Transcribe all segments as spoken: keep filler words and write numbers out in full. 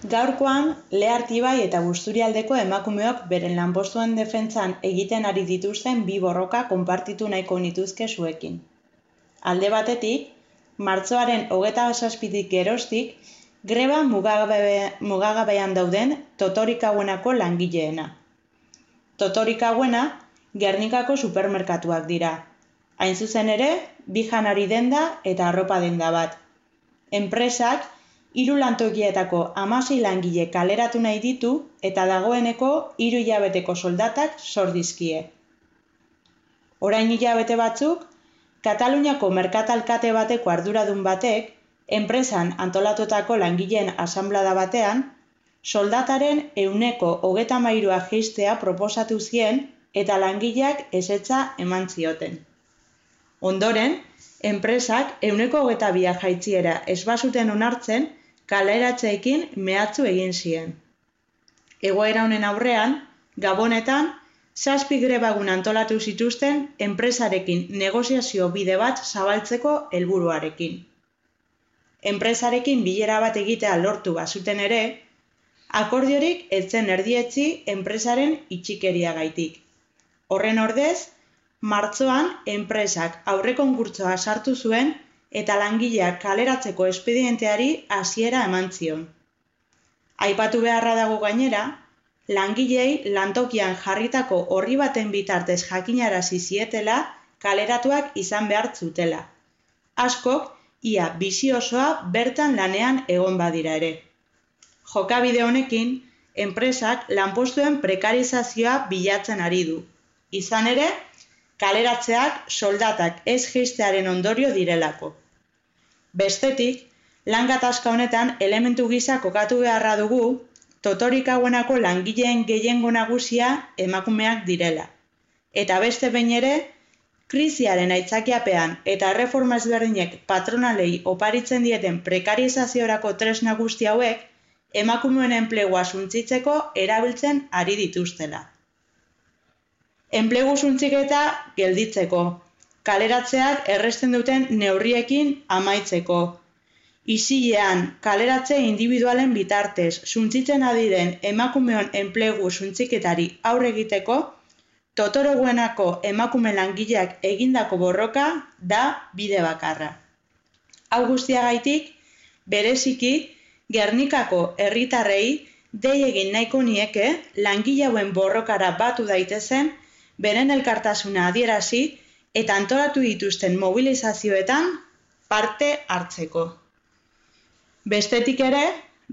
Gaurkoan, Lea Artibai eta Busturialdeko emakumeok beren lanpostuen defentsan egiten ari dituzten bi borroka konpartitu nahiko nituzke zuekin. Alde batetik, martxoaren hogeita zazpitik geroztik, greba mugagabe, mugagabean dauden Totorik hauenako langileena. Totorik hauena, Gernikako supermerkatuak dira. Hain zuzen ere, bi janari denda eta arropa denda bat. Enpresak, hiru lantokietako hamasei langile kaleratu nahi ditu eta dagoeneko hiru hilabeteko soldatak zor dizkie. Orain hilabete batzuk, Kataluniako merkatalkate bateko arduradun batek, enpresan antolatutako langileen asanblada batean, soldataren ehuneko hogeita hamairua jaistea proposatu zien eta langileak ezetza eman zioten. Ondoren, enpresak ehuneko hogeita bia jaitsiera ez bazuten onartzen, kaleratzeekin mehatxu egin zien. Egoera honen aurrean, Gabonetan, zazpi grebagun antolatu zituzten enpresarekin negoziazio bide bat zabaltzeko helburuarekin. Enpresarekin bilera bat egitea lortu bazuten ere, akordiorik ez zen erdietsi enpresaren itxikeriagaitik. Horren ordez, martxoan enpresak aurrekonkurtsoa sartu zuen eta langileak kaleratzeko espedienteari hasiera eman zion. Aipatu beharra dago gainera, langilei lantokian jarritako orri baten bitartez jakinarazi zietela kaleratuak izan behar zutela. Askok, ia bizi osoa bertan lanean egon badira ere. Jokabide honekin, enpresak lanpostuen prekarizazioa bilatzen ari du. Izan ere, kaleratzeak soldatak ez jaistearen ondorio direlako. Bestetik, lan gatazka honetan elementu gisa kokatu beharra dugu, Totorik hauenako langileen gehiengo nagusia emakumeak direla. Eta beste behin ere, krisiaren aitzakiapean eta erreforma ezberdinek patronalei oparitzen dieten prekarizaziorako tresna guzti hauek, emakumeen enplegua suntsitzeko erabiltzen ari dituztela. Enplegu suntsiketa gelditzeko, kaleratzeak erresten duten neurriekin amaitzeko, isilean kaleratze indibidualen bitartez suntsitzen adiren emakumeon enplegu suntsiketari aurre egiteko, Totoroguenako emakume langileak egindako borroka da bide bakarra. Hau guztiagaitik, bereziki, Gernikako herritarrei dei egin nahiko nieke langile hauen borrokara batu daitezen, beren elkartasuna adierazi eta antolatu dituzten mobilizazioetan parte hartzeko. Bestetik ere,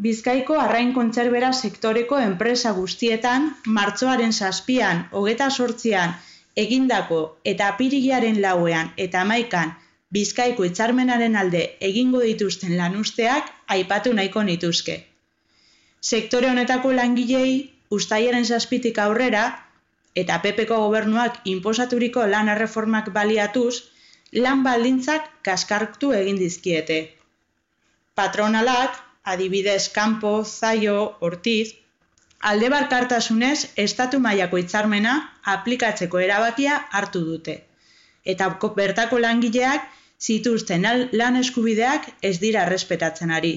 Bizkaiko arrain kontserbera sektoreko enpresa guztietan, martxoaren zazpian, hogeita zortzian, egindako eta apirilaren lauean eta hamaikan Bizkaiko hitzarmenaren alde egingo dituzten lanuzteak aipatu nahiko nituzke. Sektore honetako langilei uztailaren zazpitik aurrera, eta P Pko gobernuak inposaturiko lan erreformak baliatuz, lan baldintzak kaskartu egin dizkiete. Patronalak, adibidez Kanpo, Zaio, Ortiz, alde bakartasunez estatu mailako hitzarmena aplikatzeko erabakia hartu dute. Eta bertako langileak zituzten lan eskubideak ez dira errespetatzen ari.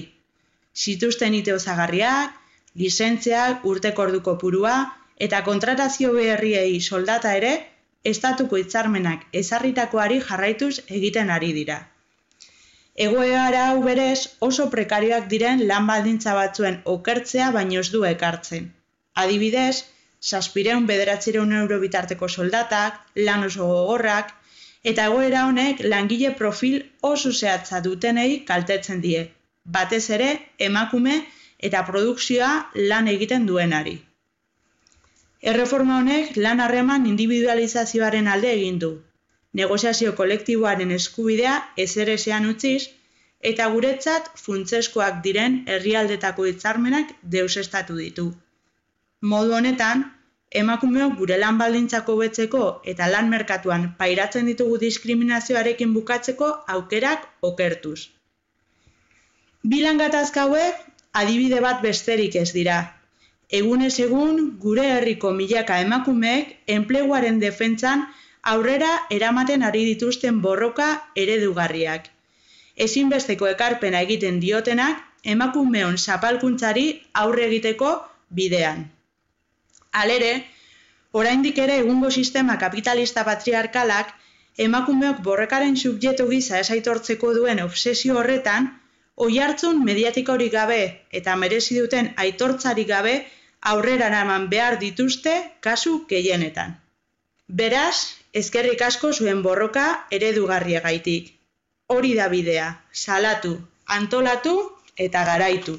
Zituzten ite osagarriak, lizentziak, urteko ordu kopurua eta kontratazio berriei soldata ere estatuko hitzarmenak ezarritakoari jarraituz egiten ari dira. Egoera hau berez oso prekarioak diren lan baldintza batzuen okertzea baino ez du ekartzen. Adibidez, zazpiehun bederatziehun euro bitarteko soldatak, lan oso gogorrak, eta egoera honek langile profil oso zehatza dutenei kaltetzen die, batez ere emakume eta produkzioa lan egiten duenari. Erreforma honek lan harreman individualizazioaren alde egin du. Negoziazio kolektiboaren eskubidea ezerezean utziz, eta guretzat funtsezkoak diren herrialdetako hitzarmenak deuseztatu ditu. Modu honetan, emakumeok gure lan baldintzak hobetzeko eta lan merkatuan pairatzen ditugu diskriminazioarekin bukatzeko aukerak okertuz. Bi lan gatazka hauek adibide bat besterik ez dira. Egunez egun gure herriko milaka emakumeek enpleguaren defentsan aurrera eramaten ari dituzten borroka eredugarriak. Ezinbesteko ekarpena egiten diotenak emakumeon zapalkuntzari aurre egiteko bidean. Halere, oraindik ere egungo sistema kapitalista patriarkalak emakumeok borrekaren subjektu gisa ez aitortzeko duen obsesio horretan, oihartzun mediatikorik gabe eta merezi duten aitortzarik gabe aurrera eraman behar dituzte kasu gehienetan. Beraz, eskerrik asko zuen borroka eredugarriegaitik. Hori da bidea, salatu, antolatu eta garaitu.